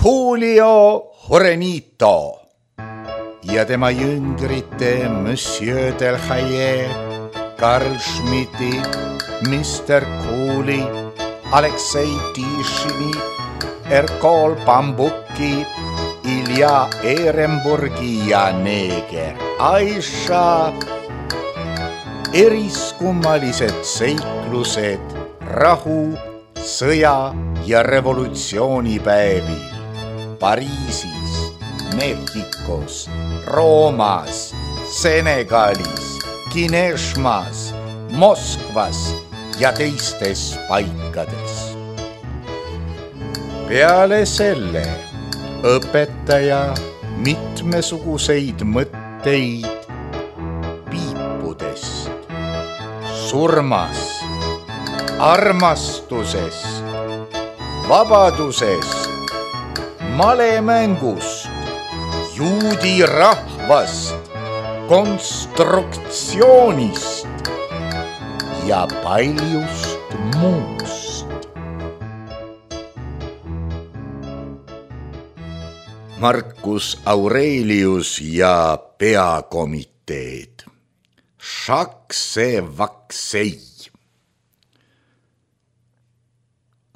Julio Jurenito ja tema jüngrite Monsieur Delhaye, Karl Schmidti, Mr. Cooley, Aleksei Tishini, Erkol Bambuki, Ilja Ehrenburgi ja neeger Aisha. Eriskummalised seiklused rahu, sõja ja revolutsioonipäevil Pariisis, Mehhikos, Roomas, Senegalis, Kineshmas, Moskvas ja teistes paikades. Peale selle õpetaja mitmesuguseid mõtteid piipudest, surmast, armastusest, vabadusest, malemängust, juudi rahvast, konstruktsioonist ja paljust muust. Marcus Aurelius ja peakomiteed. Šakse-vaksei.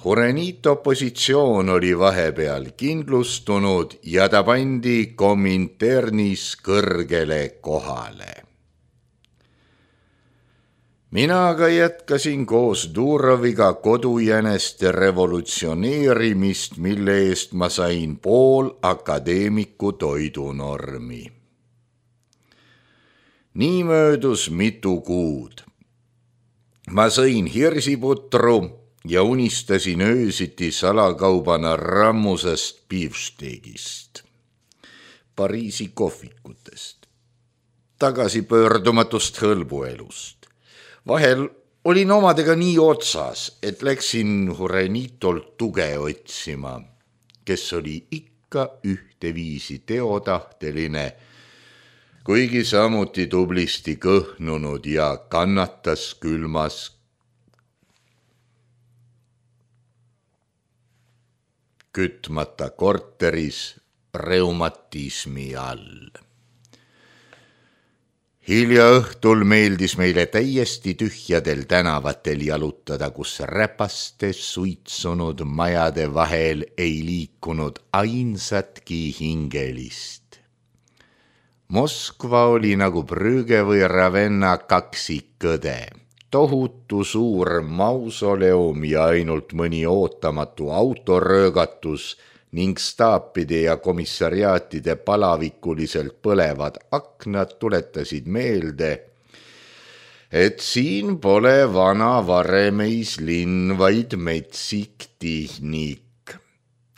Jurenito positsioon oli vahepeal kindlustunud ja ta pandi Kominternis kõrgele kohale. Mina aga jätkasin koos Duroviga kodujäneste revolutsioneerimist, mille eest ma sain pool akadeemiku toidunormi. Nii möödus mitu kuud. Ma sõin hirsiputru ja unistasin öösiti salakaubana rammusest beefsteakist, Pariisi kohvikutest, tagasipöördumatust hõlbuelust. Vahel olin omadega nii otsas, et läksin Jurenitolt tuge otsima, kes oli ikka ühteviisi teotahteline, kuigi samuti tublisti kõhnunud ja kannatas külmas kütmata korteris reumatismi all. Hilja õhtul meeldis meile täiesti tühjadel tänavatel jalutada, kus räpaste suitsunud majade vahel ei liikunud ainsatki hingelist. Moskva oli nagu Brügge või Ravenna kaksikõde, tohutu suur mausoleum ja ainult mõni ootamatu autoröögatus ning staapide ja komissariaatide palavikuliselt põlevad aknad tuletasid meelde, et siin pole vana varemeis-linn, vaid metsik tihnik,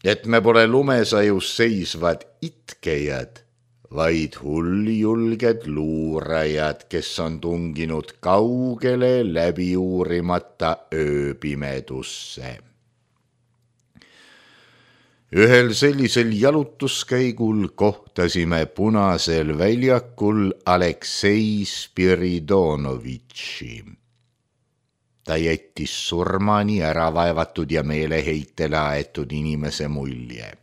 et me pole lumesajus seisvad itkejad, vaid hulljulged luurajad, kes on tunginud kaugele läbi uurimata ööpimedusse. Ühel sellisel jalutuskäigul kohtasime Punasel väljakul Aleksei Spiridonovitši. Ta jättis surmani ära vaevatud ja meeleheitele aetud inimese mulje.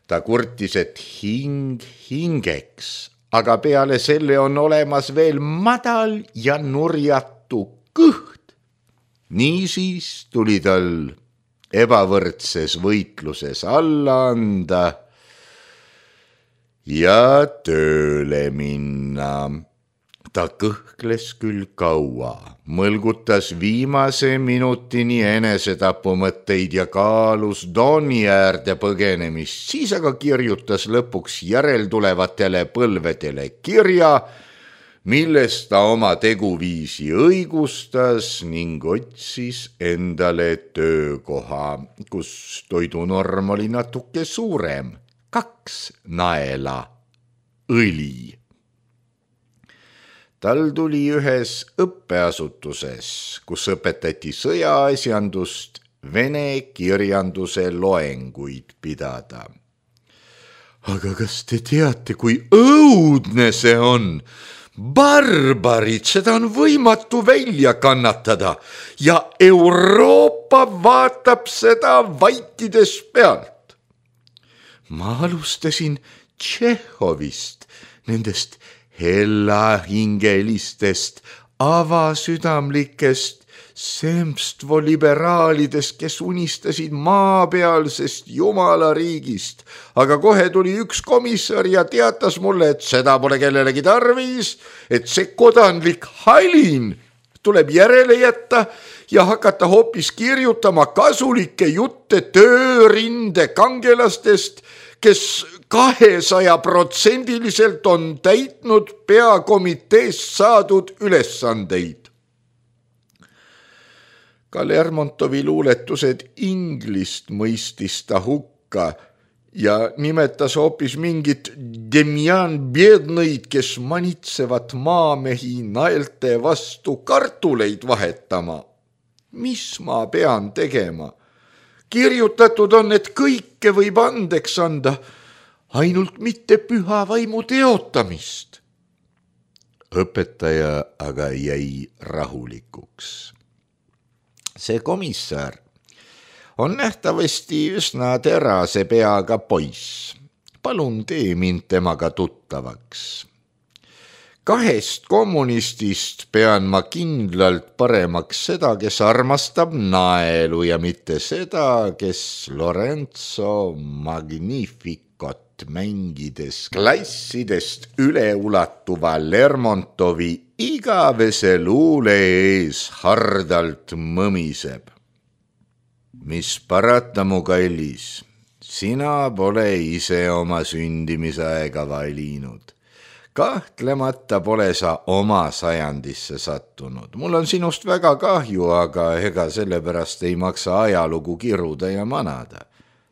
Ta kurtis, et hing hingeks, aga peale selle on olemas veel madal ja nurjatu kõht. Niisiis tuli tal ebavõrdses võitluses alla anda ja tööle minna. Ta kõhkles küll kaua, mõlgutas viimase minutini enesetapumõtteid ja kaalus Doni äärde põgenemist, siis aga kirjutas lõpuks järeltulevatele põlvedele kirja, millest ta oma teguviisi õigustas ning otsis endale töökoha, kus toidunorm oli natuke suurem, 2 naela õli. Tal tuli ühes õppeasutuses, kus õpetati sõjaasjandust, vene kirjanduse loenguid pidada. Aga kas te teate, kui õudne see on? Barbarid, seda on võimatu välja kannatada ja Euroopa vaatab seda vaikides pealt. Ma alustasin Tšehhovist, nendest hellahingelistest, avasüdamlikest semstvo-liberaalidest, kes unistasid maapealsest jumalariigist. Aga kohe tuli üks komissar ja teatas mulle, et seda pole kellelegi tarvis, et see kodanlik halin tuleb järele jätta ja hakata hoopis kirjutama kasulikke jutte töörinde kangelastest, kes 200% on täitnud peakomiteest saadud ülesandeid. Ka Lermontovi luuletused inglist mõistis ta hukka ja nimetas hoopis mingit Demjan Biednõid, kes manitsevat maamehi naelte vastu kartuleid vahetama. Mis ma pean tegema? Kirjutatud on, et kõike võib andeks anda, ainult mitte püha vaimu teotamist. Õpetaja aga jäi rahulikuks. See komissar on nähtavasti üsna terase peaga poiss. Palun tee mind temaga tuttavaks. 2 kommunistist pean ma kindlalt paremaks seda, kes armastab naelu ja mitte seda, kes Lorenzo Magnificot mängides klassidest üleulatuva Lermontovi igavese luule ees hardalt mõmiseb. Mis parata, mu kallis, sina pole ise oma sündimisaega valinud. Kahtlemata pole sa oma sajandisse sattunud. Mul on sinust väga kahju, aga ega sellepärast ei maksa ajalugu kiruda ja manada.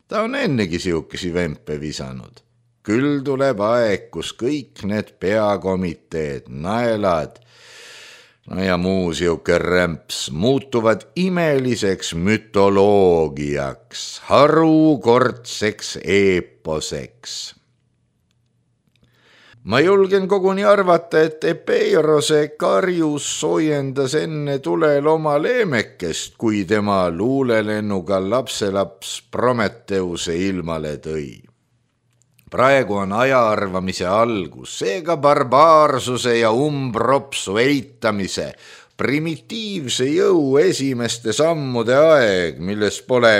Ta on ennegi siukesi vempe visanud. Küll tuleb aeg, kus kõik need peakomiteed, naelad ja muu siuke rämps muutuvad imeliseks mütoloogiaks, harukordseks eeposeks. Ma julgen koguni arvata, et Epeirose karjus soojendas enne tulel oma leemekest, kui tema luulelennuga lapselaps Prometheuse ilmale tõi. Praegu on ajaarvamise algus, seega barbaarsuse ja umbropsu eitamise, primitiivse jõu esimeste sammude aeg, milles pole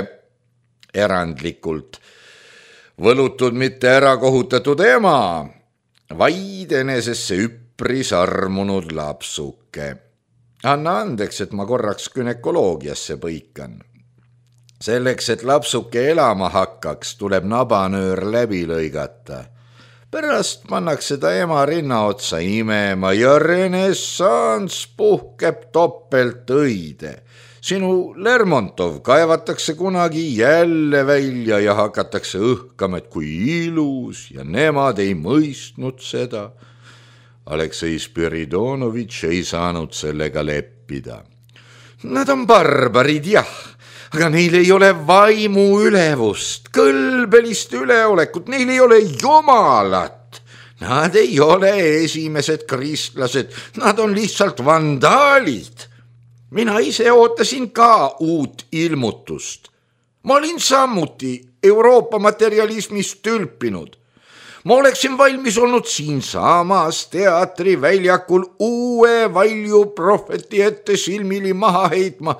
erandlikult võlutud mitte ärakohutatud ema, vaid enesesse üpris armunud lapsuke. Anna andeks, et ma korraks günekoloogiasse põikan. Selleks, et lapsuke elama hakkaks, tuleb nabanöör läbi lõigata. Pärast pannakse ta ema rinna otsa imema ja renessanss puhkeb topelt õide. Sinu Lermontov kaevatakse kunagi jälle välja ja hakatakse õhkama, et kui ilus ja nemad ei mõistnud seda. Aleksei Spiridonovitš ei saanud sellega leppida. Nad on barbarid, jah, aga neil ei ole vaimu ülevust, kõlbelist üleolekut, neil ei ole jumalat. Nad ei ole esimesed kristlased, nad on lihtsalt vandaalid. Mina ise ootasin ka uut ilmutust. Ma olin samuti Euroopa materialismist tülpinud. Ma oleksin valmis olnud siinsamas teatriväljakul uue valju prohveti ette silmili maha heitma,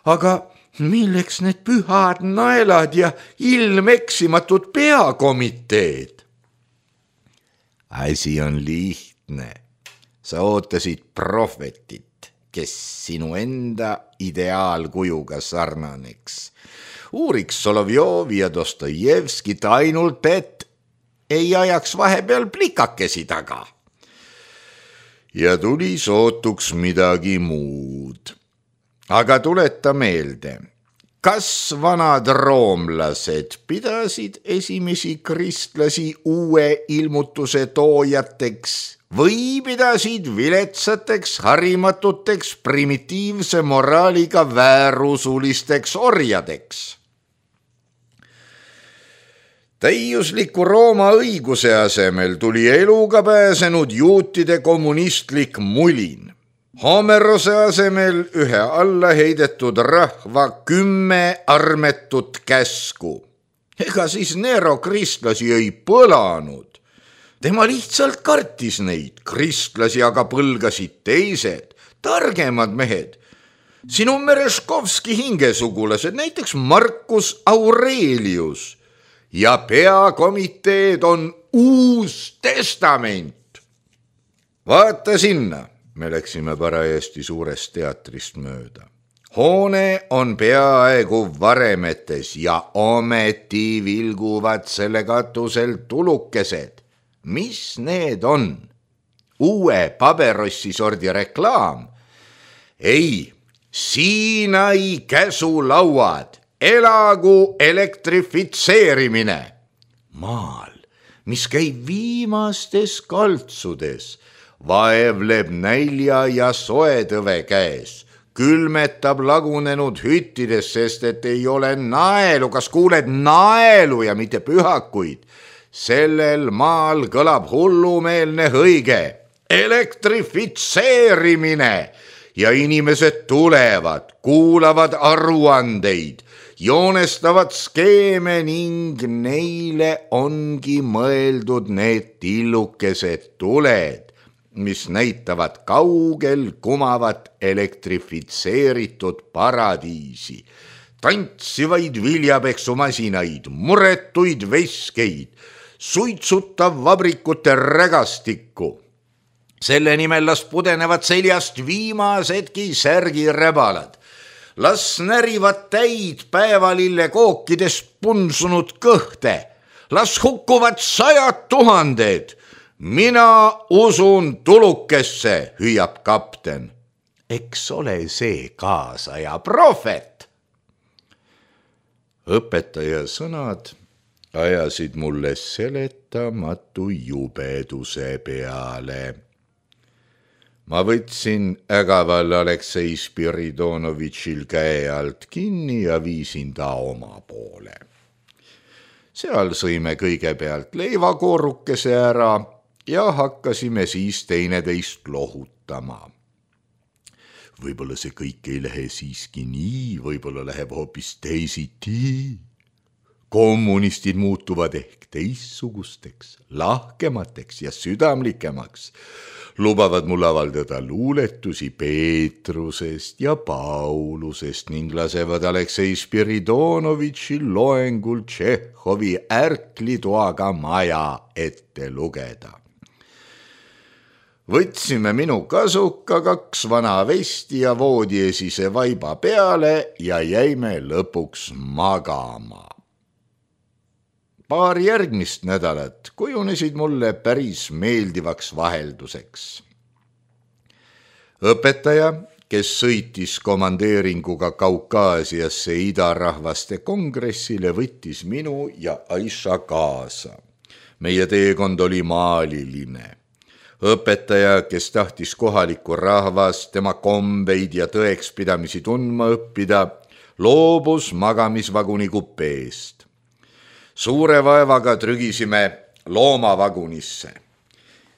aga milleks need pühad naelad ja ilmeksimatud peakomiteed? Asi on lihtne. Sa ootasid prohvetit, kes sinu enda ideaalkujuga sarnaneks. Uuriks Solovjovi ja Dostojevskit ainult, et ei ajaks vahepeal plikakesi taga. Ja tuli sootuks midagi muud. Aga tuleta meelde, kas vanad roomlased pidasid esimesi kristlasi uue ilmutuse toojateks või pidasid viletsateks, harimatuteks, primitiivse moraaliga väärusulisteks orjadeks? Täiusliku Rooma õiguse asemel tuli eluga pääsenud juutide kommunistlik mulin. Homerose asemel ühe alla heidetud rahva 10 armetut käsku. Ega siis Nero kristlasi ei põlanud. Tema lihtsalt kartis neid, kristlasi aga põlgasid teised, targemad mehed. Sinu Mereškovski hingesugulased, näiteks Marcus Aurelius. Ja peakomiteed on Uus Testament. Vaata sinna, me läksime parajasti suurest teatrist mööda. Hoone on peaaegu varemetes ja ometi vilguvad selle katusel tulukesed. Mis need on? Uue paberossi sordi reklaam? Ei, Siinai käsulauad, elagu elektrifitseerimine. Maal, mis käib viimastes kaltsudes, vaevleb nälja ja soetõve käes, külmetab lagunenud hüttides, sest et ei ole naelu, kas kuuled naelu ja mitte pühakuid. Sellel maal kõlab hullumeelne hõige, elektrifitseerimine ja inimesed tulevad, kuulavad aruandeid, joonestavad skeeme ning neile ongi mõeldud need tillukesed tuled, mis näitavad kaugel kumavat elektrifitseeritud paradiisi, tantsivaid viljapeksumasinaid, muretuid veskeid, suitsutav vabrikute rägastikku. Selle nimel las pudenevad seljast viimasedki särgirebalad. Las närivad täid päevalille kookides punsunud kõhte. Las hukkuvad 100 000. Mina usun tulukesse, hüüab kapten. Eks ole see kaasaja prohvet. Õpetaja sõnad ajasid mulle seletamatu jubeduse peale. Ma võtsin ägaval Aleksei Spiridonovitšil käe alt kinni ja viisin ta oma poole. Seal sõime kõigepealt leivakoorukese ära ja hakkasime siis teineteist lohutama. Võib-olla see kõik ei lähe siiski nii, võib-olla läheb hoopis teisiti. Kommunistid muutuvad ehk teissugusteks, lahkemateks ja südamlikemaks. Lubavad mul avaldada luuletusi Peetrusest ja Paulusest ning lasevad Aleksei Spiridonovitšil loengul Tšehhovi ärklitoaga maja ette lugeda. Võtsime minu kasuka 2 vana vesti ja voodiesise vaiba peale ja jäime lõpuks magama. Paar järgmist nädalat kujunesid mulle päris meeldivaks vahelduseks. Õpetaja, kes sõitis komandeeringuga Kaukaasiasse idarahvaste kongressile, võttis minu ja Aisha kaasa. Meie teekond oli maaliline. Õpetaja, kes tahtis kohalikku rahvast, tema kombeid ja tõekspidamisi tundma õppida, loobus magamisvaguni kupeest. Suure vaevaga trügisime loomavagunisse.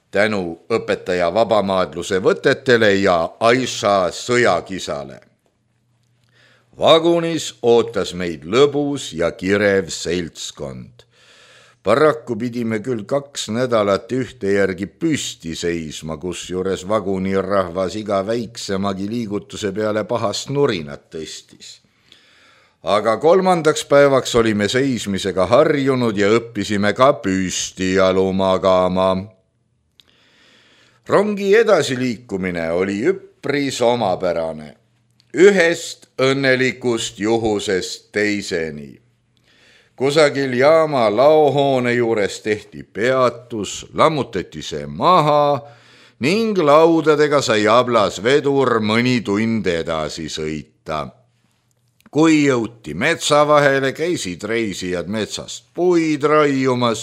Tänu õpetaja vabamaadluse võtetele ja Aisha sõjakisale. Vagunis ootas meid lõbus ja kirev seltskond. Paraku pidime küll 2 nädalat ühte järgi püsti seisma, kusjuures vagunirahvas iga väiksemagi liigutuse peale pahast nurinat tõstis. Aga 3. päevaks olime seismisega harjunud ja õppisime ka püsti jalu magama. Rongi edasiliikumine oli üpris omapärane, ühest õnnelikust juhusest teiseni. Kusagil jaama laohoone juures tehti peatus, lammutati see maha ning laudadega sai ablas vedur mõni tund edasi sõita. Kui jõuti metsa vahele, käisid reisijad metsast puid raiumas.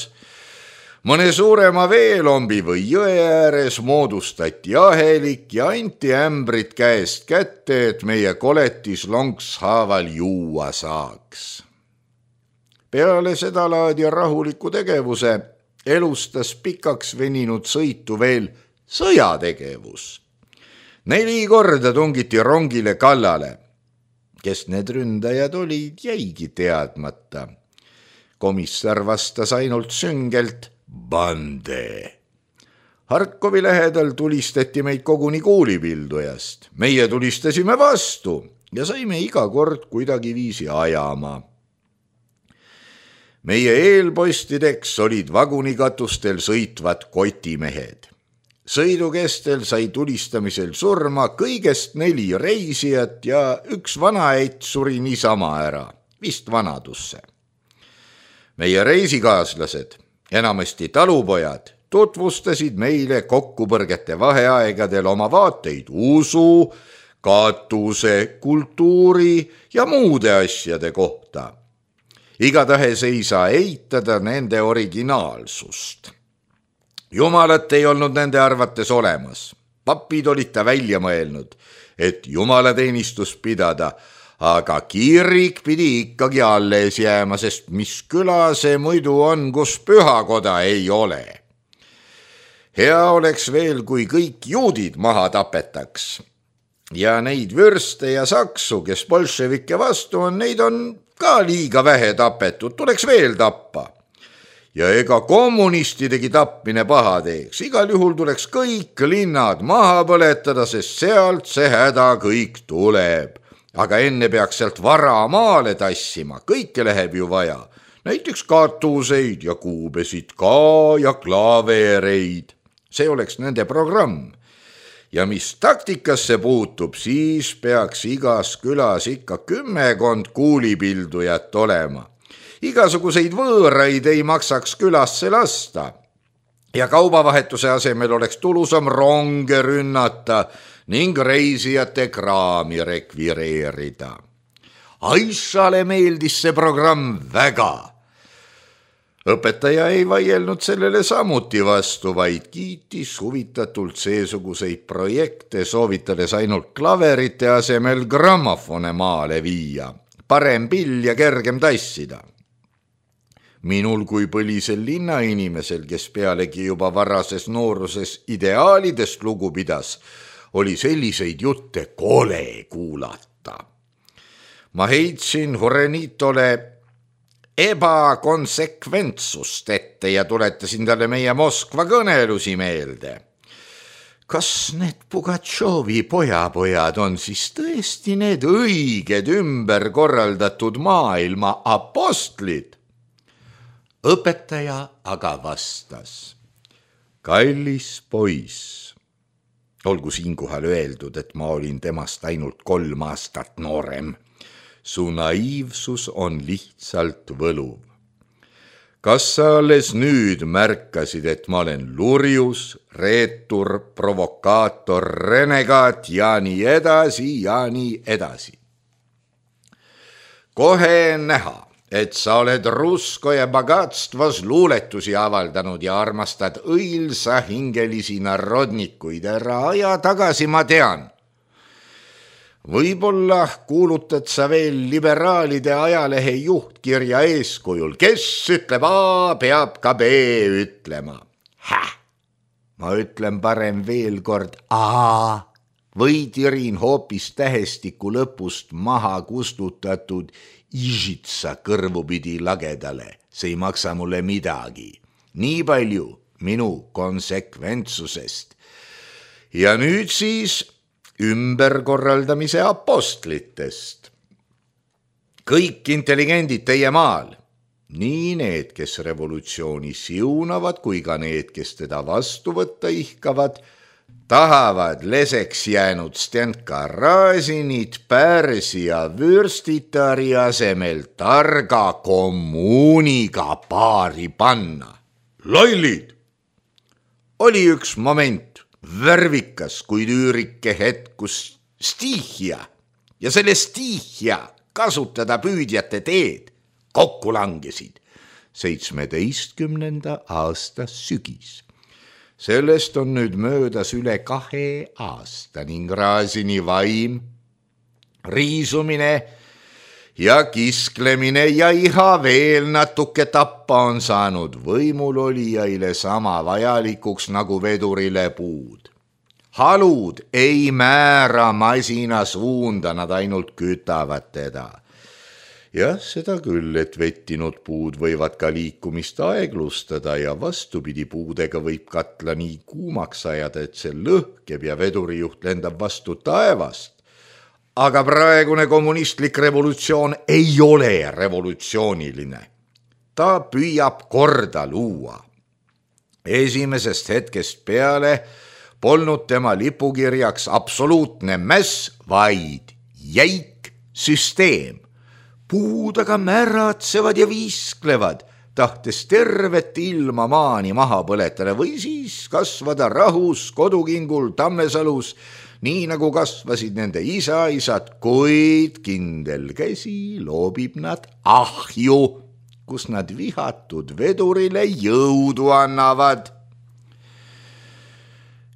Mõne suurema veelombi või jõe ääres moodustati ahelik ja anti ämbrid käest kätte, et meie koletis lonkshaaval juua saaks. Peale seda laadi rahuliku tegevuse elustas pikaks veninud sõitu veel sõjategevus. 4 korda tungiti rongile kallale. Kes need ründajad olid, jäigi teadmata. komissar vastas ainult süngelt bande. Harkovi lähedal tulistati meid koguni kuulipildujast. Meie tulistasime vastu ja saime iga kord kuidagiviisi ajama. Meie eelpostideks olid vagunikatustel sõitvad kotimehed. Sõidu kestel sai tulistamisel surma kõigest 4 reisijat ja üks vanaäit suri niisama ära, vist vanadusse. Meie reisikaaslased, enamasti talupojad, tutvustasid meile kokkupõrgete vaheaegadel oma vaateid usu, kaatuse, kultuuri ja muude asjade kohta. Igatahes ei saa eitada nende originaalsust. Jumalat ei olnud nende arvates olemas. Papid olid ta välja mõelnud, et jumalateenistus pidada, aga kirik pidi ikkagi alles jääma, sest mis küla see muidu on, kus pühakoda ei ole. Hea oleks veel, kui kõik juudid maha tapetaks. Ja neid vürste ja saksu, kes bolševike vastu on, neid on ka liiga vähe tapetud, tuleks veel tappa. Ja ega kommunistidegi tapmine paha teeks. Igal juhul tuleks kõik linnad maha põletada, sest sealt see häda kõik tuleb. Aga enne peaks sealt vara maale tassima, kõike läheb ju vaja. Näiteks katuseid ja kuubesid ka ja klaavereid. See oleks nende programm. Ja mis taktikasse puutub, siis peaks igas külas ikka 10 kuulipildujat olema. Igasuguseid võõraid ei maksaks külasse lasta ja kaubavahetuse asemel oleks tulusam ronge rünnata ning reisijate kraami rekvireerida. Aissale meeldis see programm väga. Õpetaja ei vaielnud sellele samuti vastu, vaid kiitis huvitatult seesuguseid projekte, soovitades ainult klaverite asemel grammofone maale viia. Parem pill ja kergem tassida. Minul kui põlisel linnainimesel, kes pealegi juba varases nooruses ideaalidest lugu pidas, oli selliseid jutte kole kuulata. Ma heitsin Horenitole ebakonsekventsust ette ja tuletasin talle meie Moskva kõnelusi meelde. Kas need Pugatšovi pojapojad on siis tõesti need õiged ümber korraldatud maailma apostlid? Õpetaja aga vastas. Kallis poiss, olgu siinkohal öeldud, et ma olin temast ainult 3 aastat noorem. Su naiivsus on lihtsalt võluv. Kas sa alles nüüd märkasid, et ma olen lurjus, reetur, provokaator, renegaat ja nii edasi ja nii edasi? Kohe näha, et sa oled rusko ja bagatstvos luuletusi avaldanud ja armastad õilsa hingelisi narodnikuid. Ära aja tagasi, ma tean. Võib-olla kuulutad sa veel liberaalide ajalehe juhtkirja eeskujul. Kes ütleb A, peab ka B ütlema. Ma ütlen parem veel kord A või tirin hoopis tähestiku lõpust maha kustutatud Ižitsa kõrvupidi lagedale, see ei maksa mulle midagi. Nii palju minu konsekventsusest. Ja nüüd siis ümberkorraldamise apostlitest. Kõik intelligendid teie maal, nii need, kes revolutsiooni siunavad, kui ka need, kes teda vastu võtta ihkavad, tahavad leseks jäänud Stenka Razinit Pärsia vürstitari asemel targa kommuuniga paari panna. Lollid! Oli üks moment, värvikas, kuid üürike hetk, kus stihia ja selle stihia kasutada püüdjate teed kokku langesid 17. aasta sügis. Sellest on nüüd möödas üle 2 aasta ning Razini vaim, riisumine ja kisklemine ja iha veel natuke tappa on saanud võimulolijaile sama vajalikuks nagu vedurile puud. Halud ei määra masina suunda, nad ainult kütavad teda. Jah, seda küll, et vettinud puud võivad ka liikumist aeglustada ja vastupidi puudega võib katla nii kuumaks ajada, et see lõhkeb ja vedurijuht lendab vastu taevast. Aga praegune kommunistlik revolutsioon ei ole revolutsiooniline. Ta püüab korda luua. Esimesest hetkest peale polnud tema lipukirjaks absoluutne mäss, vaid jäik süsteem. Puud aga märatsevad ja viisklevad, tahtes tervet ilma maani maha põletada või siis kasvada rahus kodukingul Tammesalus, nii nagu kasvasid nende isaisad, kuid kindel käsi loobib nad ahju, kus nad vihatud vedurile jõudu annavad.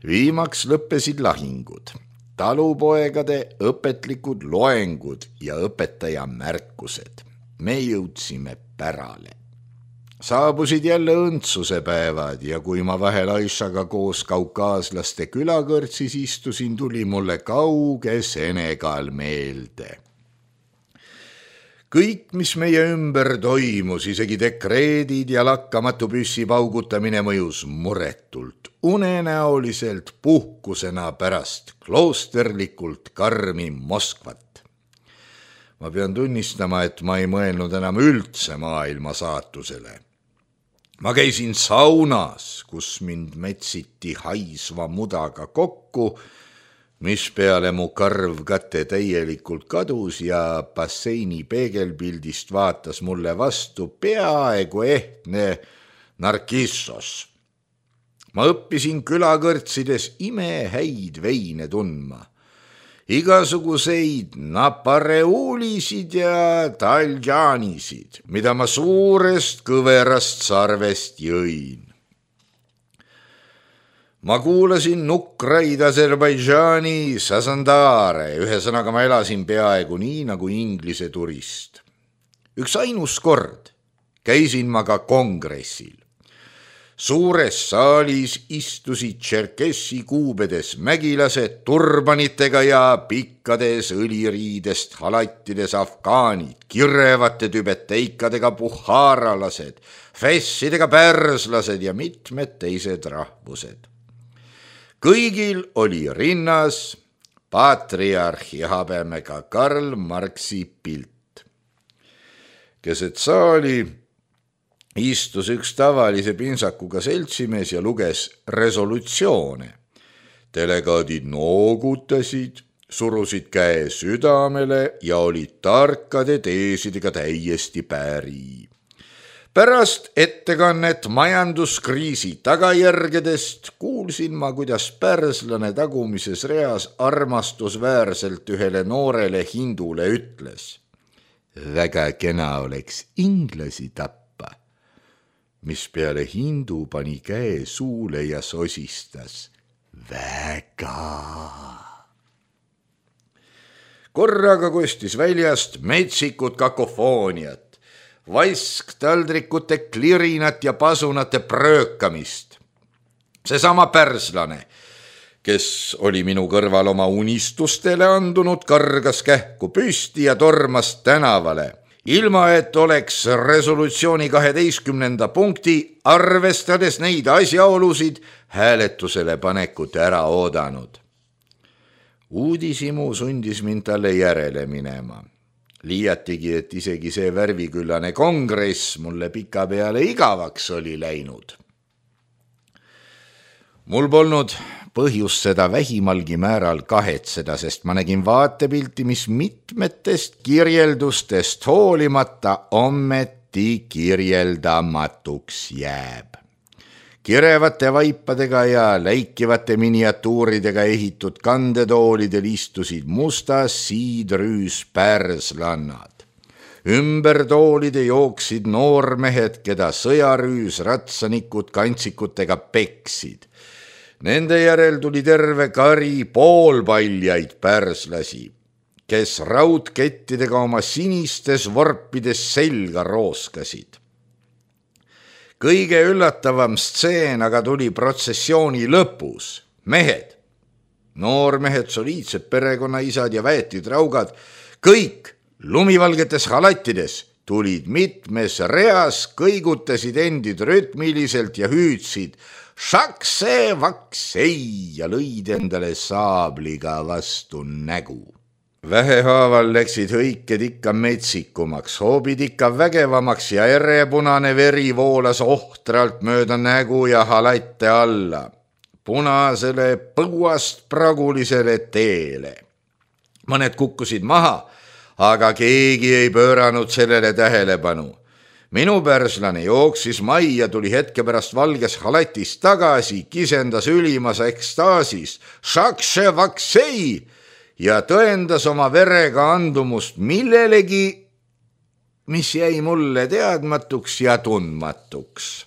Viimaks lõppesid lahingud, talupoegade õpetlikud loengud ja õpetaja märkused. Me jõudsime pärale. Saabusid jälle õndsuse päevad ja kui ma vahel Aishaga koos kaukaaslaste külakõrtsis istusin, tuli mulle kauge Senegal meelde. Kõik, mis meie ümber toimus, isegi dekreedid ja lakkamatu püssi paugutamine mõjus muretult, unenäoliselt puhkusena pärast kloosterlikult karmi Moskvat. Ma pean tunnistama, et ma ei mõelnud enam üldse maailma saatusele. Ma käisin saunas, kus mind metsiti haisva mudaga kokku, mis peale mu karv kate täielikult kadus ja basseini peegelpildist vaatas mulle vastu peaaegu ehtne Narkissos. Ma õppisin külakõrtsides imehäid veine tundma. Igasuguseid napareuulisid ja taljanisid, mida ma suurest kõverast sarvest jõin. Ma kuulasin nukraid Aserbaidžaani sazandaare, ühesõnaga ma elasin peaaegu nii nagu Inglise turist. Üks ainus kord käisin ma ka kongressil. Suures saalis istusid Tšerkessi kuubedes mägilased turbanitega ja pikkades õliriidest halattides afgaanid, kirevate tübeteikadega puhaaralased, fessidega pärslased ja mitmed teised rahvused. Kõigil oli rinnas patriarhi habemega Karl Marxi pilt. Keset saali istus üks tavalise pintsakuga seltsimees ja luges resolutsioone. Delegaadid noogutasid, surusid käe südamele ja olid tarkade teesidega täiesti päri. Pärast ettekannet majanduskriisi tagajärgedest kuulsin ma, kuidas pärslane tagumises reas armastusväärselt ühele noorele hindule ütles: väga kena oleks inglasi tappa. Mis peale hindu pani käe suule ja sosistas: väga. Korraga kostis väljast metsikud kakofooniat, vasktaldrikute klirinat ja pasunate pröökamist. Seesama pärslane, kes oli minu kõrval oma unistustele andunud, kargas kähku püsti ja tormas tänavale, ilma et oleks resolutsiooni 12. punkti, arvestades neid asjaolusid, hääletusele panekut ära oodanud. Uudishimu sundis mind talle järele minema. Liiatigi, et isegi see värviküllane kongress mulle pikapeale igavaks oli läinud. Mul polnud põhjust seda vähimalgi määral kahetseda, sest ma nägin vaatepilti, mis mitmetest kirjeldustest hoolimata ometi kirjeldamatuks jääb. Kirevate vaipadega ja läikivate miniatuuridega ehitud kandetoolidel istusid mustas siidrüüs pärslannad. Ümber toolide jooksid noormehed, keda sõjarüüs ratsanikud kantsikutega peksid. Nende järel tuli terve kari poolpaljaid pärslasi, kes raudkettidega oma sinistes vorpides selga rooskasid. Kõige üllatavam stseen aga tuli protsessiooni lõpus. Mehed, noormehed, soliidsed perekonnaisad ja väetid raugad, kõik lumivalgetes halattides tulid mitmes reas, kõigutasid endid rütmiliselt ja hüüdsid šakse-vaksei ja lõid endale saabliga vastu nägu. Vähehaaval läksid hõiked ikka metsikumaks, hoobid ikka vägevamaks ja erepunane veri voolas ohtralt mööda nägu ja halatte alla, punasele põuast pragulisele teele. Mõned kukkusid maha, aga keegi ei pööranud sellele tähelepanu. Minu pärslane jooksis majja, tuli hetke pärast valges halatis tagasi, kisendas ülimas ekstaasis šakše-vaksei ja tõendas oma verega andumust millelegi, mis jäi mulle teadmatuks ja tundmatuks.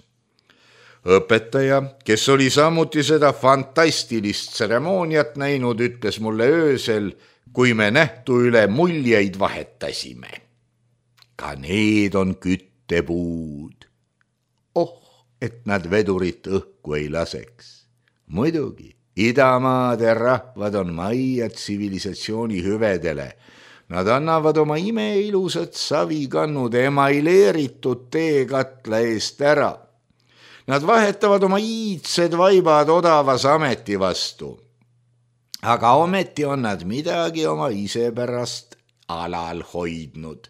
Õpetaja, kes oli samuti seda fantastilist tseremooniat näinud, ütles mulle öösel, kui me nähtu üle muljeid vahetasime. Ka need on küttepuud. Et nad vedurit õhku ei laseks. Muidugi, idamaade rahvad on majja tsivilisatsiooni hüvedele. Nad annavad oma imeilusad savikannud emaileeritud teekatla eest ära. Nad vahetavad oma iidsed vaibad odavas ameti vastu. Aga ometi on nad midagi oma isepärast alal hoidnud.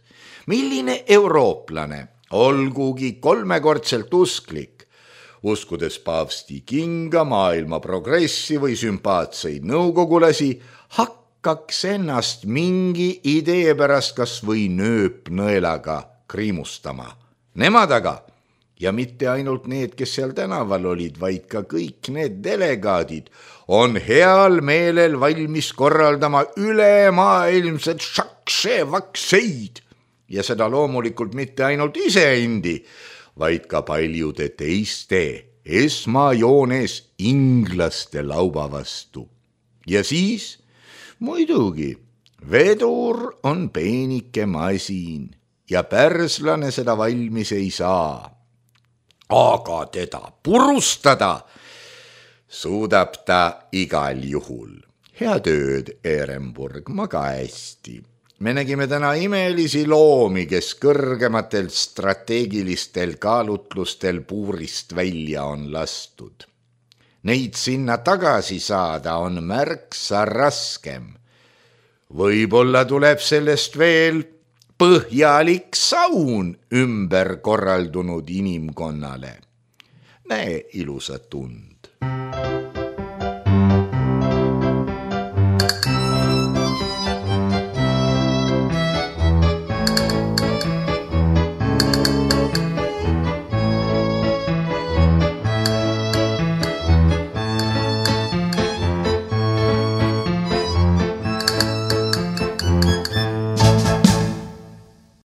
Milline eurooplane, olgugi 3-kordselt usklik, uskudes paavsti kinga, maailma progressi või sümpaatseid nõukogulasi, hakkaks ennast mingi idee pärast kas või nööpnõelaga kriimustama. Nemad aga, ja mitte ainult need, kes seal tänaval olid, vaid ka kõik need delegaadid, on heal meelel valmis korraldama ülemaailmsed šakše-vakseid ja seda loomulikult mitte ainult iseendi, vaid ka paljude teiste esmajoones inglaste lauba vastu. Ja siis, muidugi, vedur on peenike masin ja pärslane seda valmis ei saa. Aga teda purustada suudab ta igal juhul. Hea tööd, Ehrenburg, maga hästi. Me nägime täna imelisi loomi, kes kõrgematel strateegilistel kaalutlustel puurist välja on lastud. Neid sinna tagasi saada on märksa raskem. Võib-olla tuleb sellest veel põhjalik saun ümber korraldunud inimkonnale. Näe ilusat und.